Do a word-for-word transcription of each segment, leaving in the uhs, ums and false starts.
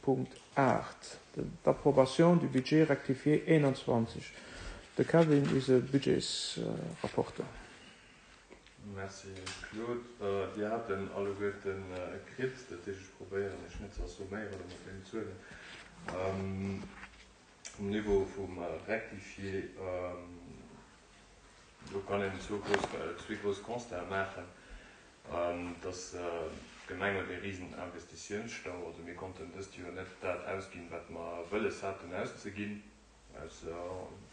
Punkt aacht, d'Approbation du budget rectifié eenanzwanzeg. De Kevin, eise Budgetsrapporteur. Merci Claude. Dir hat en alleguerten kritt, dat heescht ech probéieren iech net ze assomméieren mat deenen Zuelen. Um Niveau vum Rectifié, do kann een zwou grouss, zwee grouss Constaten maachen, dass d'Gemeng huet ee risen Investitiounsstau, also mir konnten dëst Joer net dat ausginn, wat mer wëlles haten auszeginn, aus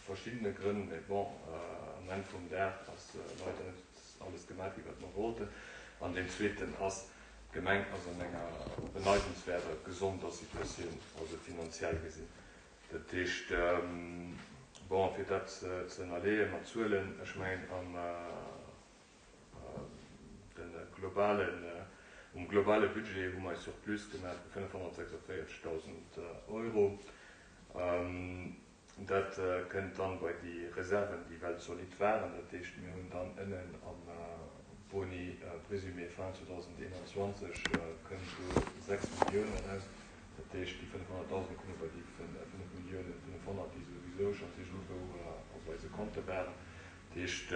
verschiddene Grënn, mee bon, am Enn vum Dag ass leider net alles gemaach ginn, wat mer wollten. An deen zweeten ass, d'Gemeng ass an enger beneidenswäerter gesonder Situatioun, also finanziell gesinn. Dat heescht, bon, fir dat ze ënnerleeë mat Zuelen, ech mengen am de globalen, um globale Budget hu mer e Surplus gemaach vu fënnefhonnertsechsundvéierzegdausend Euro. Dat kënnt dann bei déi Reserven, déi well zolidd waren. Dat heescht, mir hunn dann ënnen am Boni présumé fin zweedausendeenanzwanzeg kënnt do sechs Milliounen eraus. Dat heescht, déi fënnefhonnertdausend komme bei déi fënnef Milliounen fënnefhonnert, déi souwisou schonns iergendwou op eise Konte waren. Dat heescht,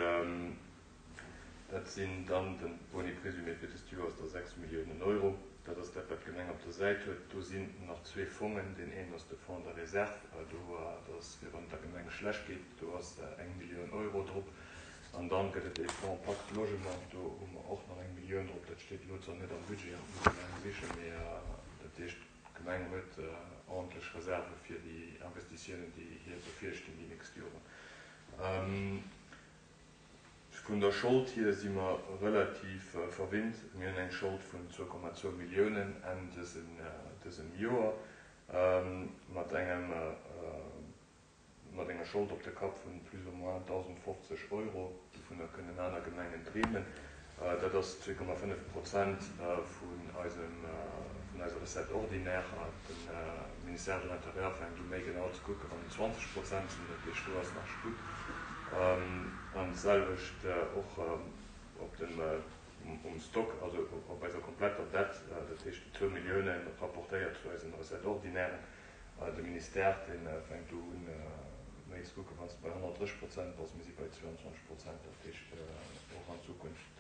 dat sinn dann de Boni présumé fir dëst Joer ass da sechs Milliounen Euro. Dat ass dat, wat d'Gemeng op der Säit huet. Do sinn nach zwee Fongen. Deen een ass de Fonds de réserve. Do, dat ass fir wann et der Gemeng schlecht geet. Do ass eng Millioun Euro drop. An dann gëtt et ee Fonds Pacte Logement. Do hu mer och nach eng Millioun drop. Dat steet elo zwar net am Budget, dat muss ee laang sichen, mee dat heescht, d'Gemeng huet ordentlech Reserve fir déi Investitiounen, déi hir bevirstinn déi nächst Joren. Vun der Schold hier si mer relativ verwinnt. Mir hunn eng Schold vun zwou Komma zwou Milliounen Enn dësem Joer, mat engem mat enger Schold op de Kapp vun plus ou moins dausendfofzeg Euro. Dovunner kënnen aner Gemengen dreemen. Dat ass zwee Komma fënnef Prozent vun eisem vun eiser Recette ordinaire. De Ministère de l'Intérieur fänkt u méi genau ze kucken, wann et zwanzeg Prozent sinn. Dat heescht, do ass nach Sputt. An d'selwecht och op dem um Stock, also op eiser kompletter Dette, dat heescht déi zwou Milliounen rapportéiert zu eisen Recettes ordinairen. De Ministère, dee fänkt do un méi ze kucken, wann s de bei honnertdrësseg Prozent bass, mir si bei zwouanzwanzeg Prozent, dat heescht och an Zukunft,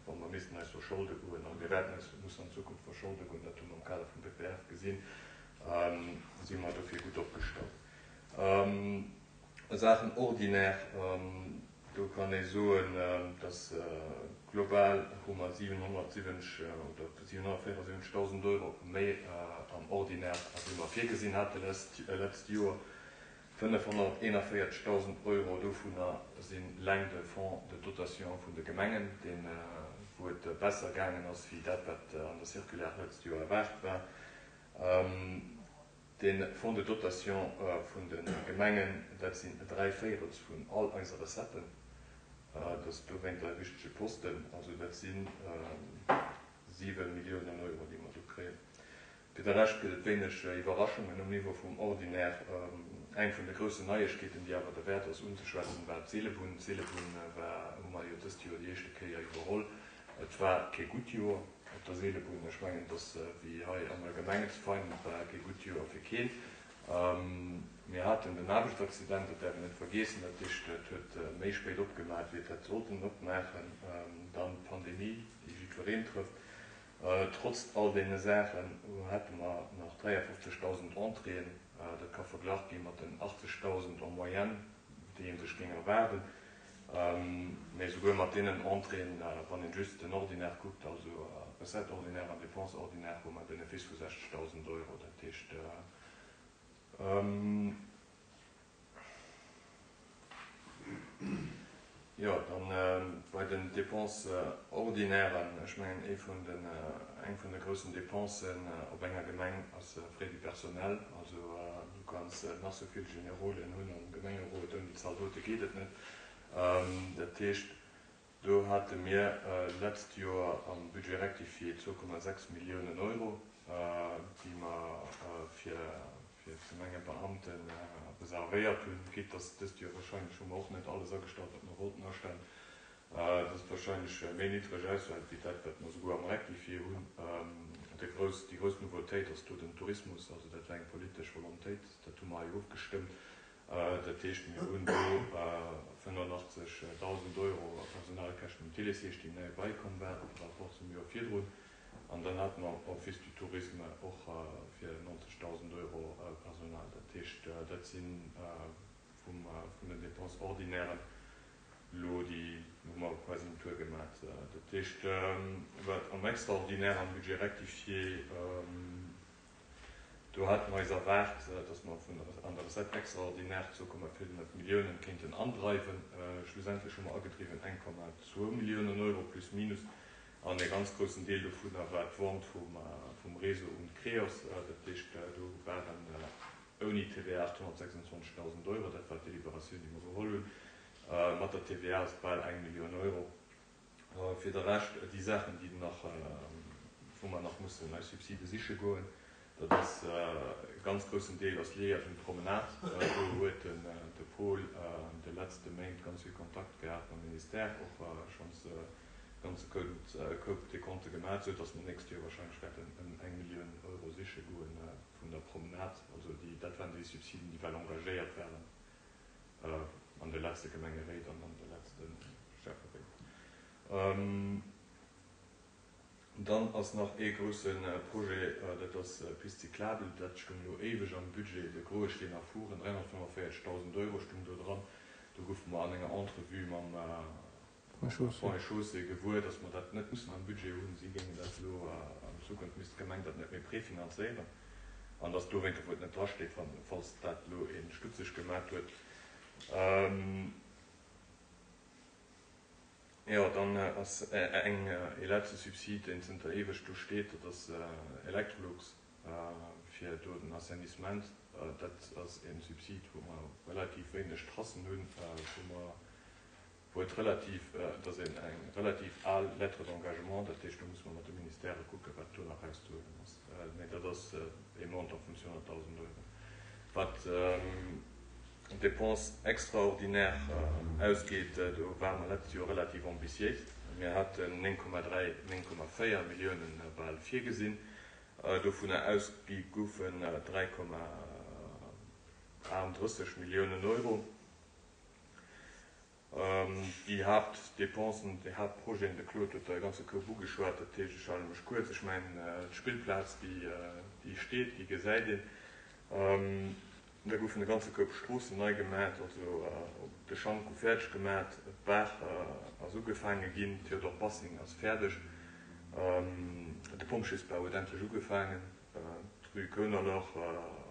wa mer missten eis verscholde goen, a mir wäerten eis mussen an Zukunft verscholde goen, dat hu mer am Kader vum P P F gesinn, si mer dofir gutt opgestallt. A Saachen Ordinaire, do kann ee soen, dass global hu mer siwenhonnertsiwwenzeg oder siwenhonnertvéierundsiwwenzegdausend Euro méi am Ordinaire, wéi mer virgesinn hate letzt Joer. fënnefhonnerteenavéierzegdausend Euro dovunner si leng de Fonds de dotation vun de Gemengen, deen, wou et besser gaangen ass wéi dat, wat an der Circulaire letzt Joer erwaart war. De Fonds de dotation vun de Gemengen, dat sinn dräi Véirels vun all eise Recetten. Dat ass dowéint e wichtege Posten. Also dat si siwe Milliounen Euro, déi mer do kréien. Fir de Rescht gëtt et wéineg Iwwerraschungen um Niveau vum Ordinaire. Eng vun de groussen Neiegkeeten, déi awer derwäert ass unzeschwätzen, war d'Seelebunn. D'Seelebunn war, hu mer jo dëst Joer déi éischte Kéier iwwerholl. Et war kee gutt Joer op der Seelebunn. Ech mengen, dass wéi hei am Allgemengen ze feinen, et war kee gutt Joer fir keen. Mir haten den Aarbechtsaccident, dat däerf een net vergeessen. Dat heescht, et huet méi spéit opgemaach, wéi et hätt sollten opmaachen. Dann d'Pandemie, déi jiddwereen trëfft. Trotz all deene Saachen hate mer nach dräiafofzegdausend Entréeën. Dat ka verglach gi mat den achtzegdausend en moyenne, déi ee sech géing erwaarden. Mee esouguer mat deenen Entréeën, wann een just den Ordinaire kuckt, also Recette ordinaire an Dépenses ordinaires, hu mer e Benefice vu sechzegdausend Euro. Dat heescht, jo, dann bei den Dépenses ordinairen, ech mengen, ee vun den, eng vun de groussen Dépensen op enger Gemeng ass Frais du personnel. Also du kanns nach sou vill Generolen hunn am Gemengerot, ouni Zaldote geet et net. Dat heescht, do hate mir d'letzt Joer am Budget rectifié zwou Komma sechs Milliounen Euro, déi mer fir d'Gemengebeamte reservéiert hunn. Quitte dass dëst Joer wahrscheinlech hu mer och net alles agestallt, wat mer wollten astellen, dass et wahrscheinlech méi niddreg ausfält wéi dat, wat mer souguer am Rectifié hunn. Déi grouss, déi grouss Nouveautéit ass do den Tourismus, also dat war eng politesch Volontéit, dat hu mer hei ofgestëmmt. Dat heescht, mir hunn do fënnefenachtzegdausend Euro a Personalkäschten um Télésiège, déi nei bäikomm waren par rapport zum Joer virdrun. An dann hate mer Office du Tourisme och fir neunzegdausend Euro Personal. Dat heescht, dat si vum, vun den Dépenses ordinairen elo déi, hu mer quasi en Tour gemat. Dat heescht, wat am Extraordinaire, am Budget rectifié, do hate mer eis erwaart, dass mer vun der, an der Recette extraordinaire zwou Komma fënnef Milliounen kéinten andreiwen. Schlussendlech hu mer agedriwwen eng Komma zwou Milliounen Euro plus minus. An e ganz groussen Deel dovunner war d'Vente vum, vum Réseau un d'Creos. Dat heescht, do waren ouni T V A achthonnertsechsundzwanzegdausend Euro, dat war d'Deliberatioun, déi mer geholl hunn. Mat der T V A ass et bal eng Millioun Euro. Fir de Rescht, déi Saachen, déi nach, wou mer nach mussen eis Subside siche goen, dat ass e ganz groussen Deel ass liéiert un d'Promenade. Do huet den de Paul de letzte Méint ganz vill Kontakt gehat mam Ministère, och schonns e ganze Koup Decompte gemaat, sou datt mer nächst Joer wahrscheinlech wäerten ëm eng Millioun Euro siche goen vun der Promenade. Also déi, dat waren déi Subsiden, déi well engagéiert waren an de letzte Gemengeréit an an de letzte Schäfferéit. Dann ass nach ee grousse Projet, dat ass d'Piste cyclable. Dat stung elo éiweg am Budget, de groe Steen a Furen, dräihonnertfënnefenvéierzegdausend Euro stung do dran. Do goufe mer an enger Entrevue mam Ponts et Chaussées gewuer, datt mer dat net mussen am Budget hunn. Si géingen dat elo, an Zukunft misst d'Gemeng dat net méi prefinanzéieren. An datt dowéinter, wou et net drasteet, falls dat elo ee stutzeg gemat huet. Jo, dann ass eng, ee letzte Subsid, deen zënter éiweg do steet, dat ass Electrolux fir do den Assainissement. Dat ass e Subsid, wou mer relativ wéineg Tracen hunn, wou mer, wou et relativ, dat ass een eng relativ al Lettre d'engagement, dat heescht, do muss mer mat de Ministèrë kucken, wat do nach erauszehuelen ass. Mee dat ass e Montant vun zweehonnertdausend Euro. Wat d'Dépenses extraordinaires ausgeet, do ware mer letzt Joer relativ ambitiéis. Mir haten néng Komma dräi, néng Komma véier Milliounen bal virgesinn. Dovunner ausgi goufen dräi Komma achtendrësseg Milliounen Euro. Déi Haaptdepensen, déi Haaptprojeten, de Claude huet der e ganze Koup ugeschwat, dat heescht, ech hale mech kuerz. Ech mengen, d'Spillplaz, déi steet, déi gesäit een. Da goufen e ganze Koup Stroossen nei gemat, also de Schank gouf fäerdeg gemat, d'Baach ass ugefaange ginn, Théodore Bassing ass fäerdeg, de Pompjeesbau huet endlech ugefaangen, d'Rue Kounerloch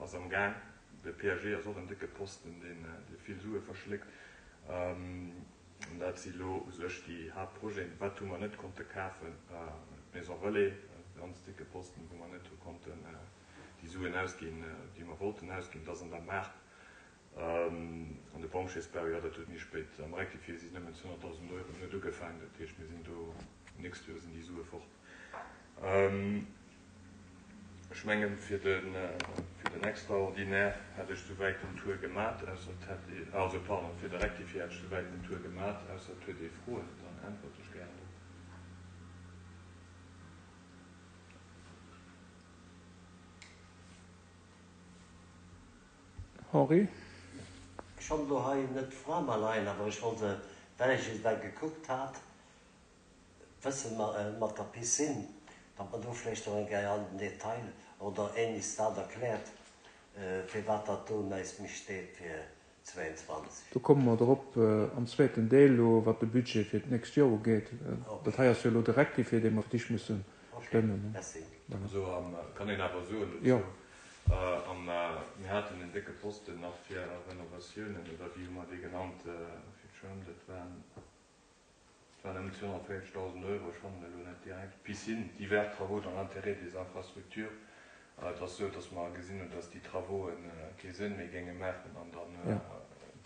ass am Gaang, de P A G ass och en décke Posten, deen vill Sue verschléckt. An dat si lo u sech déi Haaptprojeten. Wat hu mer net konnte kafen? D'Maison Relais, e ganz décke Posten, wou mer net hu konnten déi Suen ausginn, déi mer wollten ausginn. Dat ass an der Maart. An de Pompjeesbau, jo, dat huet méi spéit am Rectifié si nëmmen zweehonnertdausend Euro net ugefaangen. Dat heescht, mir sinn do, nächst Joer sinn déi Sue fort. Ech mengen, fir den, fir den Extraordinaire hätt ech souwäit den Tour gemat, ausser et hätt ee, also pardon, fir de Rectifié hätt ech souwäit den Tour gemat, ausser et huet ee Froen, dann äntwert ech gären drop. Henri? Ech hunn elo hei net d'Fra mer leien, awer ech wollt se, well ech et well gekuckt hat, wëssen mat der Piscine, datt mer do vläicht och eng Kéier an den Detail oder ähnliches dat erkläert, firwat dat do näischt méi steet fir zwéianzwanzeg. Do komme mer drop am zweeten Deel elo, wat de Budget fir d'nächst Joer ugeet. Dat hei ass jo elo de Rectifié, dee mer fir d'éischt musse stëmmen. Ok, merci. Also kann een awer soen dozou, mir haten en décke Posten nach fir Renovatiounen, oder wéi hu mer dee genannt, fir d'Schwämm, dat waren, et waren ëm zweehonnertvéierzegdausend Euro, ech fannen elo net direkt, d'Piscine, divers travaux dans l'intérêt des infrastructures. Et ass esou, datt mer gesinn hunn, datt déi Travauxen kee Sënn méi géinge maachen an dann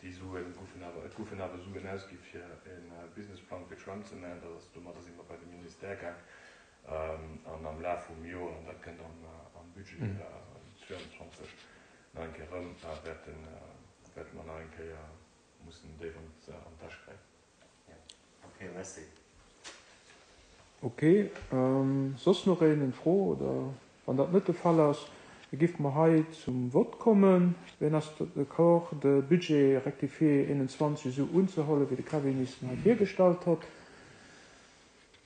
déi Suen goufen awer, et goufen awer Suen ausgi fir e Businessplang fir d'Schwämm ze maachen. Dat ass, domadder si mer bei de Ministère gaang an am Laf vum Joer, an dat kënnt am Budget zwéianzwanzeg nach eng Kéier erëm, wäerten, wäerte mer nach eng Kéier mussen déif an d'Täsch gräifen. Ok, merci. Ok, soss nach een eng Fro oder wann dat net de Fall ass, géife mer hei zum Vott kommen. Wien ass d'accord, de Budget rectifié eenenzwanzeg esou unzehuelen, wéi de Kevin es hei virgestallt huet?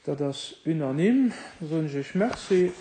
Dat ass unanime. Da soen ech Iech Merci.